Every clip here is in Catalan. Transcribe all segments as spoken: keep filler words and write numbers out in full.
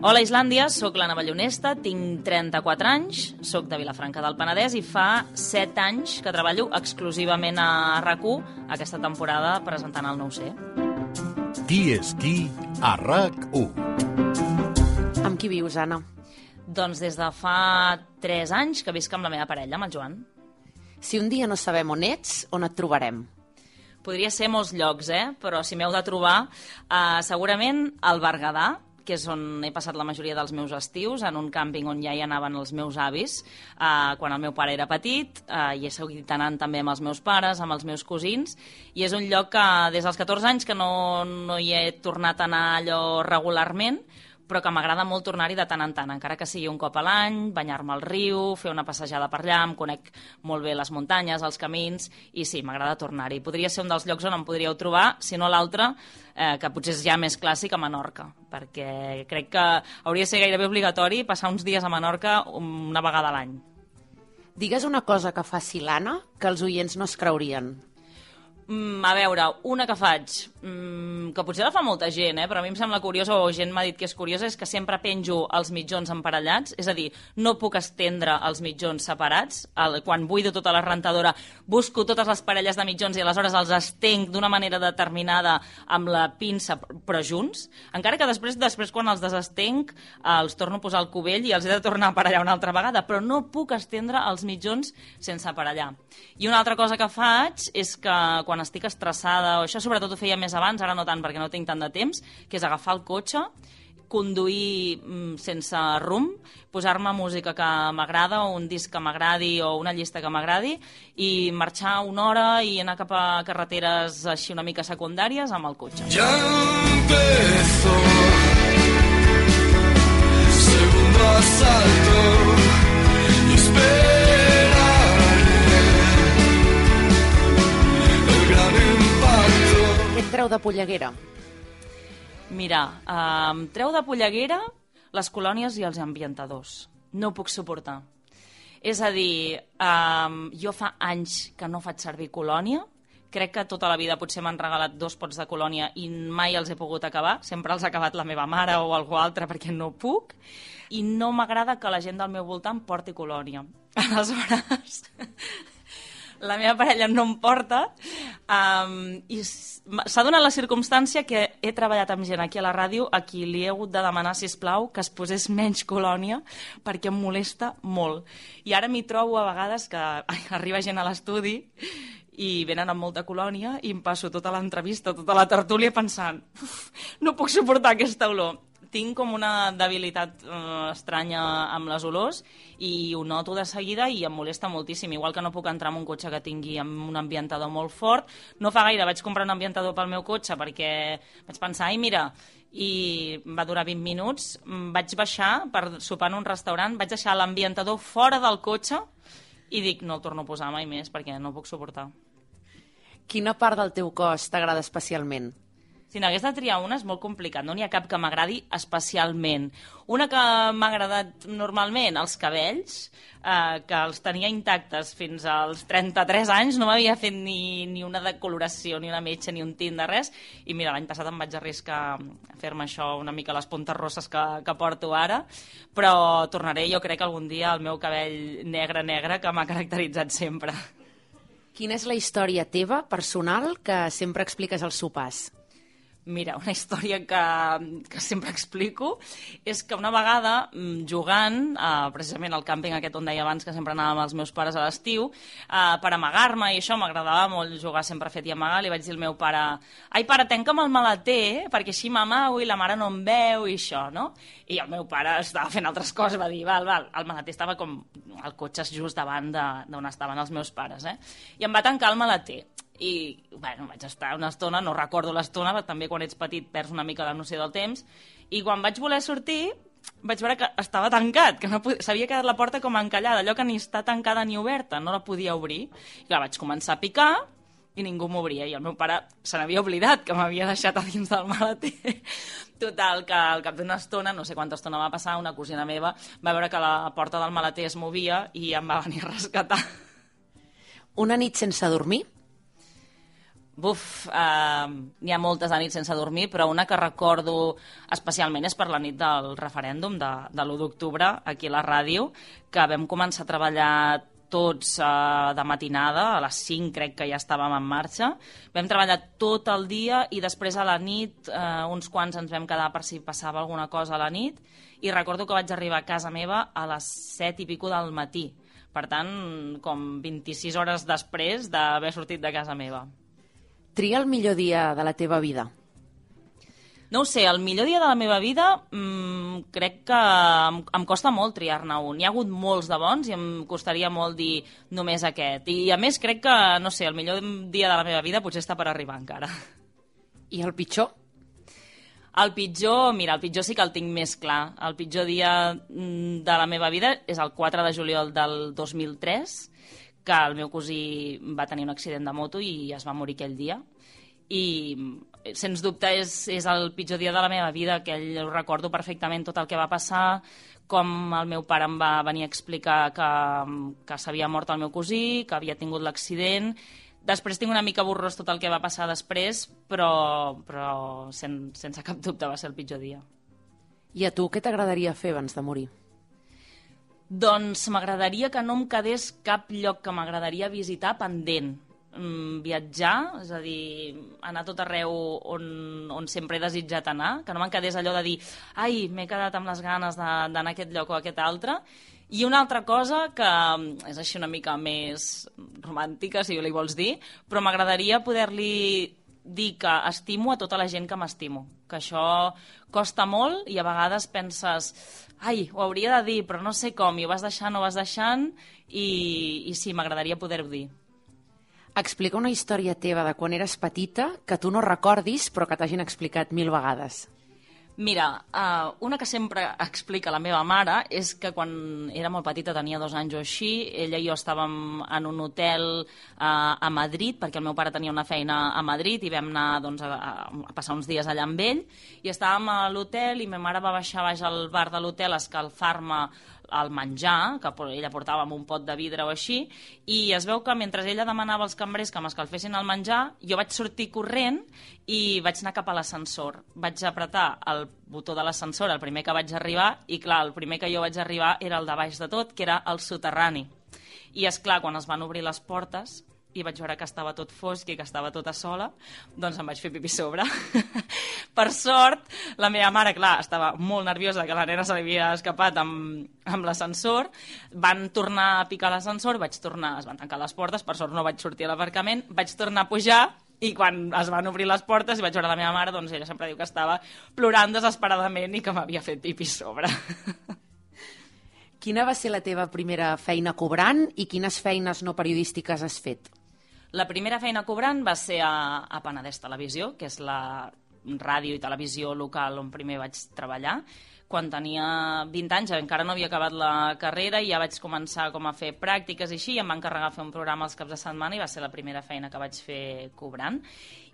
Hola Islàndia, sóc l'Anna Ballonesta, tinc trenta-quatre anys, sóc de Vilafranca del Penedès i fa set anys que treballo exclusivament a RAC u aquesta temporada presentant el nou C. Qui és qui a RAC u? Amb qui vius, Anna? Doncs des de fa tres anys que visc amb la meva parella, amb el Joan. Si un dia no sabem on ets, on et trobarem? Podria ser molts llocs, eh? Però si m'heu de trobar, eh, segurament al Berguedà, que és on he passat la majoria dels meus estius, en un càmping on ja hi anaven els meus avis, eh, quan el meu pare era petit, eh, i he seguit anant també amb els meus pares, amb els meus cosins, i és un lloc que des dels catorze anys que no, no hi he tornat a anar allò regularment, però que m'agrada molt tornar-hi de tant en tant, encara que sigui un cop a l'any, banyar-me al riu, fer una passejada per allà, em conec molt bé les muntanyes, els camins, i sí, m'agrada tornar-hi. Podria ser un dels llocs on em podríeu trobar, si no l'altre, eh, que potser és ja més clàssic, a Menorca, perquè crec que hauria de ser gairebé obligatori passar uns dies a Menorca una vegada a l'any. Digues una cosa que faci l'Anna que els oients no es creurien. Mm, a veure, una que faig, mm, que potser la fa molta gent, eh, però a mi em sembla curiosa, o gent m'ha dit que és curiosa, és que sempre penjo els mitjons emparellats, és a dir, no puc estendre els mitjons separats. El, quan buido tota la rentadora, busco totes les parelles de mitjons i aleshores els estenc d'una manera determinada amb la pinça, però junts. Encara que després, després quan els desestenc, els torno a posar al cubell i els he de tornar a aparellar una altra vegada, però no puc estendre els mitjons sense aparellar. I una altra cosa que faig és que quan quan estic estressada, o això sobretot ho feia més abans, ara no tant perquè no tinc tant de temps, que és agafar el cotxe, conduir mm, sense rumb, posar-me música que m'agrada, o un disc que m'agradi, o una llista que m'agradi, i marxar una hora i anar cap a carreteres així una mica secundàries amb el cotxe. Ja empezó segundo asalto y espera. Què et treu de polleguera? Mira, eh, em treu de polleguera les colònies i els ambientadors. No ho puc suportar. És a dir, eh, jo fa anys que no faig servir colònia. Crec que tota la vida potser m'han regalat dos pots de colònia i mai els he pogut acabar. Sempre els ha acabat la meva mare o algú altre perquè no puc. I no m'agrada que la gent del meu voltant porti colònia. Aleshores, la meva parella no em porta, um, i s'ha donat la circumstància que he treballat amb gent aquí a la ràdio a qui li he hagut de demanar, sisplau, que es posés menys colònia perquè em molesta molt. I ara m'hi trobo a vegades que ai, arriba gent a l'estudi i venen amb molta colònia i em passo tota l'entrevista, tota la tertúlia pensant no puc suportar aquesta olor. Tinc com una debilitat eh, estranya amb les olors i ho noto de seguida i em molesta moltíssim. Igual que no puc entrar en un cotxe que tingui amb un ambientador molt fort. No fa gaire vaig comprar un ambientador pel meu cotxe perquè vaig pensar, ai mira, i va durar vint minuts. Vaig baixar per sopar en un restaurant, vaig deixar l'ambientador fora del cotxe i dic, no el torno a posar mai més perquè no puc suportar. Quina part del teu cos t'agrada especialment? Si n'hagués de triar una és molt complicat, no n'hi ha cap que m'agradi especialment. Una que m'ha agradat normalment, els cabells, eh, que els tenia intactes fins als trenta-tres anys, no m'havia fet ni, ni una decoloració, ni una metxa, ni un tint de res, i mira, l'any passat em vaig arriscar a fer-me això una mica les puntes rosses que, que porto ara, però tornaré jo crec algun dia al meu cabell negre-negre que m'ha caracteritzat sempre. Quina és la història teva, personal, que sempre expliques als sopars? Mira, una història que, que sempre explico és que una vegada, jugant, eh, precisament al càmping aquest on deia abans que sempre anàvem amb els meus pares a l'estiu, eh, per amagar-me, i això m'agradava molt jugar sempre a fet i amagar, li vaig dir al meu pare ai pare, tanca'm el maleter, perquè així m'amago i la mare no em veu i això, no? I el meu pare estava fent altres coses, va dir, val, val, el maleter estava com el cotxe just davant d'on estaven els meus pares, eh? I em va tancar el maleter. I bueno, vaig estar una estona, no recordo l'estona, però també quan ets petit perds una mica la noció del temps, i quan vaig voler sortir vaig veure que estava tancat, que no podia, s'havia quedat la porta com encallada, allò que ni està tancada ni oberta, no la podia obrir. I clar, vaig començar a picar i ningú m'obria, i el meu pare se n'havia oblidat que m'havia deixat a dins del maleter. Total, que al cap d'una estona, no sé quanta estona va passar, una cosina meva va veure que la porta del maleter es movia i em va venir a rescatar. Una nit sense dormir? Buf, uh, n'hi ha moltes de nits sense dormir, però una que recordo especialment és per la nit del referèndum de, de l'u d'octubre, aquí a la ràdio, que vam començar a treballar tots uh, de matinada, a les cinc crec que ja estàvem en marxa. Vam treballar tot el dia i després a la nit uh, uns quants ens vam quedar per si passava alguna cosa a la nit, i recordo que vaig arribar a casa meva a les set i pico del matí. Per tant, com vint-i-sis hores després d'haver sortit de casa meva. Tria el millor dia de la teva vida. No ho sé, el millor dia de la meva vida mmm, crec que em, em costa molt triar-ne un. Hi ha hagut molts de bons i em costaria molt dir només aquest. I a més crec que, no sé, el millor dia de la meva vida potser està per arribar encara. I el pitjor? El pitjor, mira, el pitjor sí que el tinc més clar. El pitjor dia de la meva vida és el quatre de juliol del dos mil tres, que el meu cosí va tenir un accident de moto i es va morir aquell dia. I, sens dubte, és, és el pitjor dia de la meva vida, que ho recordo perfectament tot el que va passar, com el meu pare em va venir a explicar que, que s'havia mort el meu cosí, que havia tingut l'accident. Després tinc una mica borrós tot el que va passar després, però, però sen, sense cap dubte va ser el pitjor dia. I a tu què t'agradaria fer abans de morir? Doncs m'agradaria que no em quedés cap lloc que m'agradaria visitar pendent. Mm, viatjar, és a dir, anar a tot arreu on, on sempre he desitjat anar, que no me'n quedés allò de dir ai, m'he quedat amb les ganes d'anar a aquest lloc o a aquest altre. I una altra cosa que és així una mica més romàntica, si li vols dir, però m'agradaria poder-li dir que estimo a tota la gent que m'estimo, que això costa molt i a vegades penses ai, ho hauria de dir, però no sé com, i ho vas deixant, ho vas deixant, i, i sí, m'agradaria poder-ho dir. Explica una història teva de quan eres petita que tu no recordis però que t'hagin explicat mil vegades. Mira, uh, una que sempre explica la meva mare és que quan era molt petita, tenia dos anys o així, ella i jo estàvem en un hotel uh, a Madrid, perquè el meu pare tenia una feina a Madrid i vam anar doncs, a, a passar uns dies allà amb ell, i estàvem a l'hotel i ma mare va baixar baix al bar de l'hotel a escalfar-me el menjar, que ella portava amb un pot de vidre o així, i es veu que mentre ella demanava als cambrers que m'escalfessin el menjar, jo vaig sortir corrent i vaig anar cap a l'ascensor. Vaig apretar el botó de l'ascensor el primer que vaig arribar, i clar, el primer que jo vaig arribar era el de baix de tot, que era el soterrani. I és clar, quan es van obrir les portes i vaig veure que estava tot fosc i que estava tota sola, doncs em vaig fer pipí sobre. Per sort, la meva mare, clar, estava molt nerviosa que la nena se li havia escapat amb, amb l'ascensor. Van tornar a picar l'ascensor, vaig tornar, es van tancar les portes, per sort no vaig sortir a l'aparcament, vaig tornar a pujar, i quan es van obrir les portes i vaig veure la meva mare, doncs ella sempre diu que estava plorant desesperadament i que m'havia fet pipí sobre. Quina va ser la teva primera feina cobrant i quines feines no periodístiques has fet? La primera feina cobrant va ser a, a Penedès Televisió, que és la ràdio i televisió local on primer vaig treballar. Quan tenia vint anys, encara no havia acabat la carrera i ja vaig començar com a fer pràctiques i així, i em van encarregar fer un programa els caps de setmana i va ser la primera feina que vaig fer cobrant.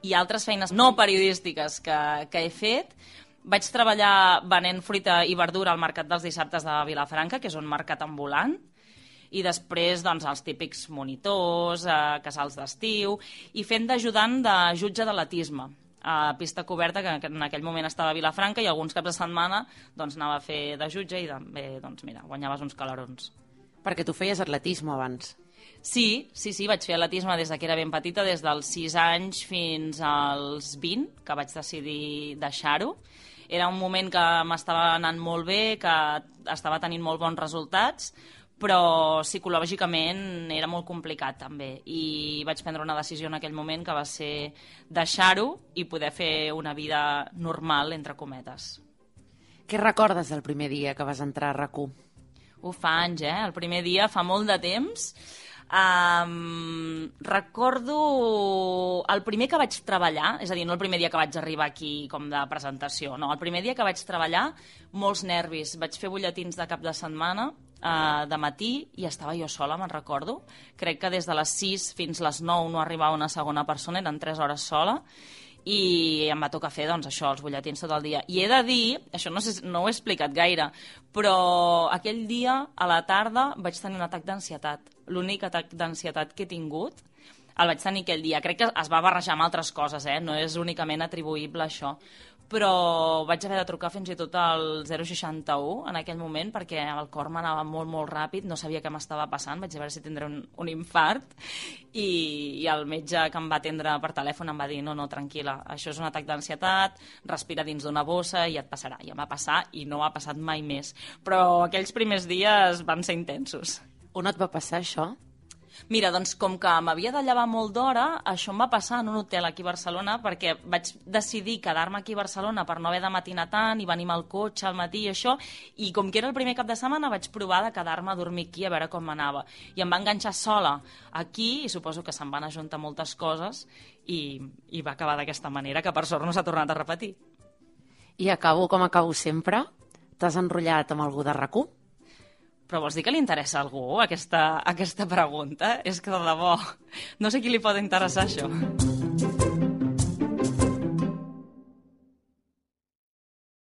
I altres feines no periodístiques que, que he fet, vaig treballar venent fruita i verdura al Mercat dels Dissabtes de Vilafranca, que és un mercat ambulant, i després doncs, els típics monitors, eh, casals d'estiu, i fent d'ajudant de jutge d'atletisme a pista coberta, que en aquell moment estava a Vilafranca, i alguns caps de setmana doncs, anava a fer de jutge i també doncs, mira, guanyaves uns calarons. Perquè tu feies atletisme abans. Sí, sí, sí, vaig fer atletisme des que era ben petita, des dels sis anys fins als vint, que vaig decidir deixar-ho. Era un moment que m'estava anant molt bé, que estava tenint molt bons resultats, però psicològicament era molt complicat també, i vaig prendre una decisió en aquell moment que va ser deixar-ho i poder fer una vida normal, entre cometes. Què recordes del primer dia que vas entrar a RAC u? Ho fa anys, eh? El primer dia fa molt de temps. Um, recordo el primer que vaig treballar, és a dir, no el primer dia que vaig arribar aquí com de presentació, no, el primer dia que vaig treballar, molts nervis. Vaig fer butlletins de cap de setmana, Uh, de matí, i estava jo sola, me'n recordo. Crec que des de les sis fins les nou no arribava una segona persona, eren tres hores sola, i em va tocar fer doncs, això, els butlletins tot el dia. I he de dir, això no, sé, no ho he explicat gaire, però aquell dia, a la tarda, vaig tenir un atac d'ansietat. L'únic atac d'ansietat que he tingut. El vaig tenir aquell dia. Crec que es va barrejar amb altres coses, eh? No és únicament atribuïble a això. Però vaig haver de trucar fins i tot al zero seixanta-u en aquell moment perquè el cor m'anava molt, molt ràpid, no sabia què m'estava passant, vaig a veure si tindré un, un infart i, i el metge que em va atendre per telèfon em va dir no, no, tranquil·la, això és un atac d'ansietat, respira dins d'una bossa i et passarà. I em va passar i no ha passat mai més. Però aquells primers dies van ser intensos. On et va passar això? Mira, doncs com que m'havia de llevar molt d'hora, això em va passar en un hotel aquí a Barcelona perquè vaig decidir quedar-me aquí a Barcelona per no haver de matinar tant i venir al cotxe al matí i això, i com que era el primer cap de setmana vaig provar de quedar-me a dormir aquí a veure com m'anava. I em va enganxar sola aquí i suposo que se'n van ajuntar moltes coses i, i va acabar d'aquesta manera, que per sort no s'ha tornat a repetir. I acabo com acabo sempre. T'has enrotllat amb algú de RAC u? Però vols dir que li interessa a algú aquesta, aquesta pregunta? És que de debò, no sé qui li pot interessar això.